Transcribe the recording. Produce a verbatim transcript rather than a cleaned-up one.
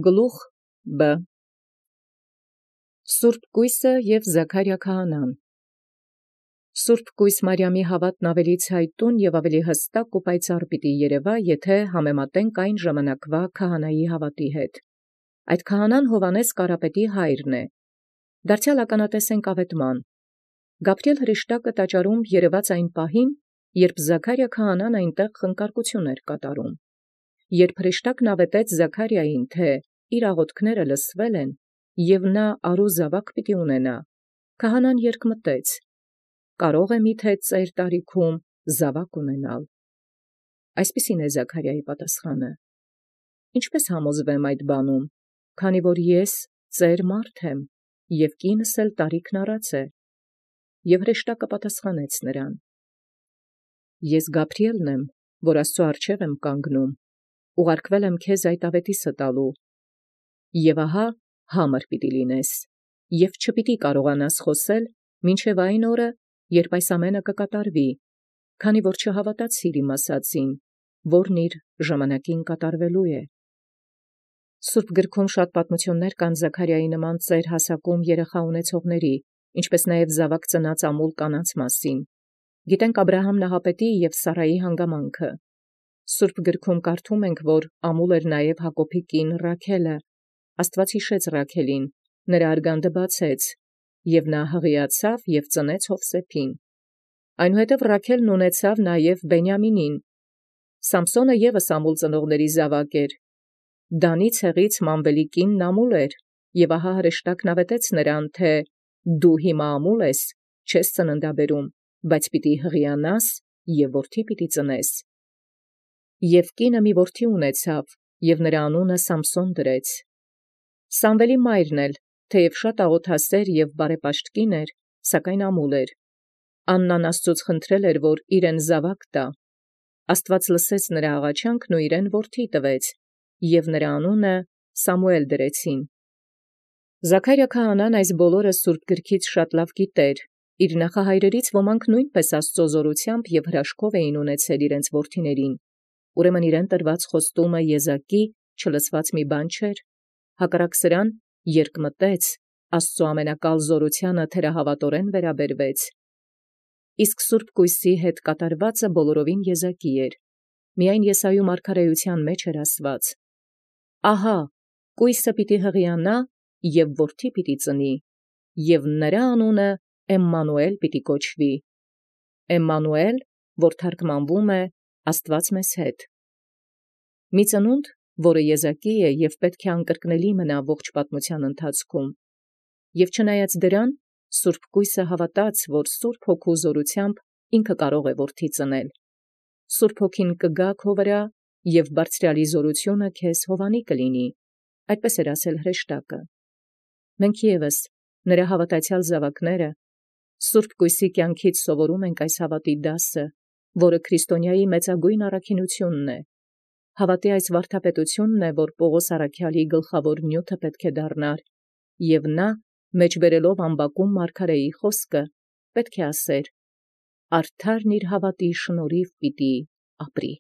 Գլուխ Բ. Սուրբ Կույսը և Զաքարիա քահանան։ Սուրբ Կույս Մարիամի հաւատն ավելի ցայտուն և ավելի հստակ ու պայծառ պիտի երևա, եթե համեմատենք այն ժամանակվա քահանայի հաւատի հետ։ Այդ քահանան Հովհաննես Կարապետի հայրն է։ Դարձեալ ականատեսենք աւետման։ Գաբրիէլ հրեշտակը տաճարում երևաց այն պահին, երբ Զաքարիա քահանան այնտեղ խնկարկություն էր կատարում։ Երբ հրեշտակն աւետեց Զաքարիային, թէ իր աղոթքները լսվել են, և նա արու զաւակ պիտի ունենա, քահանան երկմտեց. «Կարո՞ղ է միթե ծեր տարիքում զաւակ ունենալ»։ Այսպիսին է Զաքարիայի պատասխանը. «Ինչպէս համոզվեմ այդ բանում, քանի որ ես ծեր մարդ եմ, և կինս էլ տարիքն առած է»։ Եւ հրեշտակը պատասխանեց նրան. «Ես Գաբրիէլն եմ, որ Աստուծոյ առջև եմ կանգնում, ուղարկվել եմ քեզ այդ աւետիսը տալու. և ահա համր պիտի լինես, և չպիտի կարողանաս խոսել մինչև այն օրը, երբ այս ամենը կկատարվի, քանի որ չհաւատացիր իմ ասացին, որն իր ժամանակին կատարվելու է»։ Սուրբ գրքում շատ պատմություններ կան Զաքարիայի նման ծեր հասակում երեխա ունեցողների, ինչպէս նաև զաւակ ծնած ամուլ կանանց մասին։ Գիտենք Աբրահամ Նահապետի և Սարայի հանգամանքը։ Սուրբ գրքում կարդում ենք, որ ամուլ էր նաև Հակոբի կին Ռաքելը։ Աստուած յիշեց Ռաքելին, նրա արգանդը բացեց, և նա հղիացավ և ծնեց Յովսեփին։ Այնուհետև Ռաքելն ունեցավ նաև Բենիամինին։ Սամսոնը ևս ամուլ ծնողների զաւակ էր։ Դանի ցեղից Մանվելի կինն ամուլ էր, և ահա հրեշտակն աւետեց նրան, թէ «Դու հիմա ամուլ ես, չես ծննդաբերում, բայց պիտի հղիանաս և որդի պիտի ծնես»։ Եւ կինը մի որդի ունեցավ, և նրա անունը Սամսոն դրեց։ Սամվելի մայրն էլ, թեև շատ աղոթասեր և բարեպաշտ կին էր, սակայն ամուլ էր։ Աննան Աստուծոց խնդրել էր, որ իրեն զաւակ տա։ Աստուած լսեց նրա աղաչանքն ու իրեն որդի տվեց, և նրա անունը Սամուէլ դրեցին։ Զաքարիա քահանան այս բոլորը սուրբ գրքից շատ լավ գիտեր։ Իր նախահայրերից ոմանք նույնպես Աստուծոյ զօրութեամբ և հրաշքով էին ունեցել իրենց որդիներին։ Ուրեմն իրեն տրված խոստումը եզակի չլսված մի բան չէր։ Հակառակ սրան, երկմտեց, Աստուծոյ ամենակալ զօրութեանը թերահաւատորեն վերաբերվեց։ Իսկ սուրբ Կույսի հետ կատարվածը բոլորովին եզակի էր։ Միայն Եսայիու մարգարէութեան մեջ էր ասված. «Ահա կույսը պիտի հղիանա և որդի պիտի ծնի, և նրա անունը Էմմանուէլ պիտի կոչվի»։ Էմմանուէլ, որ թարգմանվում է Աստուած մեզ հետ։ Մի ծնունդ, որը եզակի է և պետք է անկրկնելի մնա ողջ պատմության ընթացքում։ Եւ չնայած դրան, սուրբ Կույսը հավատաց, որ Սուրբ Հոգու զօրութեամբ ինքը կարող է որդի ծնել։ Սուրբ Հոգին կգա քո վրա, և բարձրեալի զօրութիւնը քեզ հովանի կլինի։ Այդպես էր ասել հրեշտակը։ Մենք ևս, նրա հավատացյալ զաւակները, սուրբ Կույսի կյանքից սովորում ենք այս հավատի դասը, որը քրիստոնեայի մեծագույն առաքինութիւնն է։ Հավատի այս վարդապետութիւնն է, որ Պողոս առաքյալի գլխաւոր նիւթը պետք է դառնար, և նա, մեջբերելով ամբակում մարգարէի խոսքը, պետք է ասեր. «Արդարն իր հավատի շնորհիւ պիտի ապրի»։